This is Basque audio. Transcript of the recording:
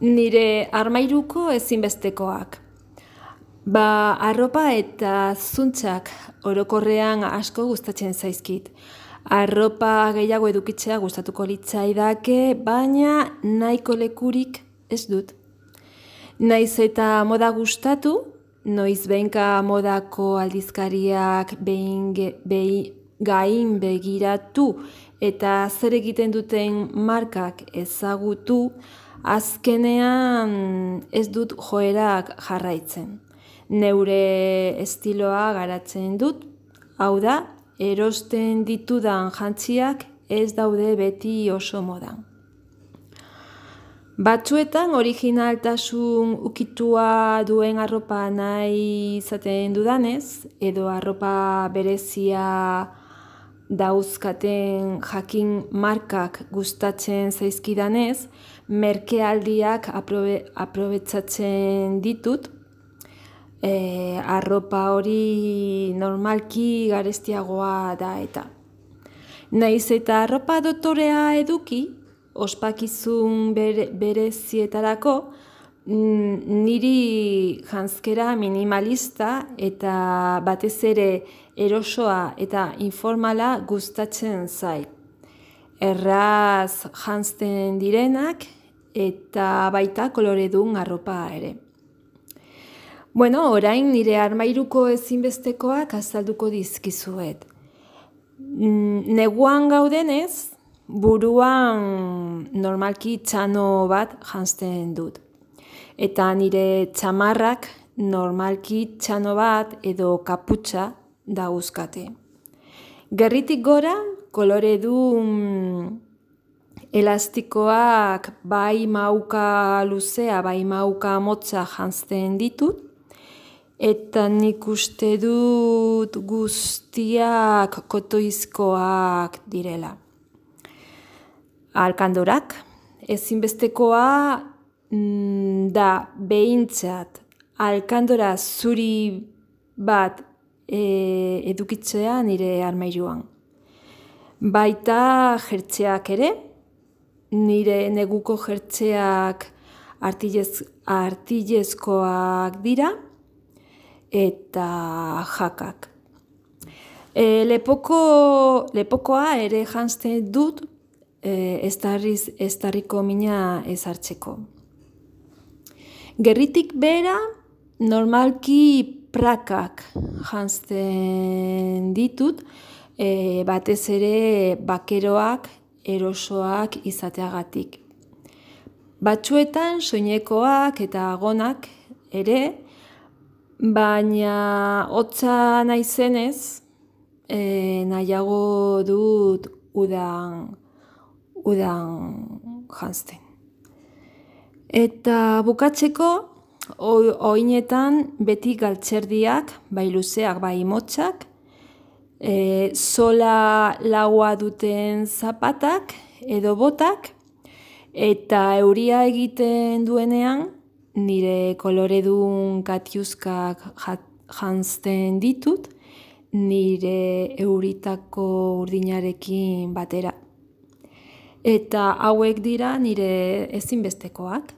Nire armairuko ezinbestekoak. Arropa eta zuntzak orokorrean asko gustatzen zaizkit. Arropa gehiago edukitzea gustatuko litzaidake, baina nahiko lekurik ez dut. Naiz eta moda gustatu, noiz behinka modako aldizkariak gain begiratu eta zer egiten duten markak ezagutu, azkenean ez dut joerak jarraitzen. Neure estiloa garatzen dut, hau da, erosten ditudan jantziak ez daude beti oso modan. Batzuetan originaltasun ukitua duen arropa nahi izaten dudanez, edo arropa berezia dauzkaten jakin markak gustatzen zaizkidanez, merkealdiak aprobetxatzen ditut, arropa hori normalki garestiagoa da eta. Naiz eta arropa dotorea eduki, ospakizun berezietarako, niri janzkera minimalista eta batez ere erosoa eta informala gustatzen zait. Erraz janzten direnak eta baita koloredun arropa ere. Orain nire armairuko ezinbestekoak azalduko dizkizuet. Neguan gaudenez, buruan normalki txano bat janzten dut. Eta nire txamarrak normalki txano bat edo kaputxa dauzkate. Gerritik gora, koloredun elastikoak bai mauka luzea, bai mauka motza janzten ditut, eta nik uste dut guztiak kotoizkoak direla. Alkandorak, ezinbestekoa da behintzat alkandora zuri bat edukitzea nire armairuan. Baita jertzeak ere, nire neguko jertzeak artilezkoak dira eta jakak. Lepokoa ere janzten dut estarriko mina ezartzeko. Gerritik behera, normalki prakak janzten ditut, batez ere bakeroak, erosoak izateagatik. Batzuetan soinekoak eta gonak ere, baina hotza naizenez, nahiago dut udan janzten. Eta bukatzeko, oinetan beti galtzerdiak, bai luzeak, bai motzak, sola laua duten zapatak edo botak, eta euria egiten duenean, nire koloredun katiuskak janzten ditut, nire euritako urdinarekin batera. Eta hauek dira nire ezinbestekoak.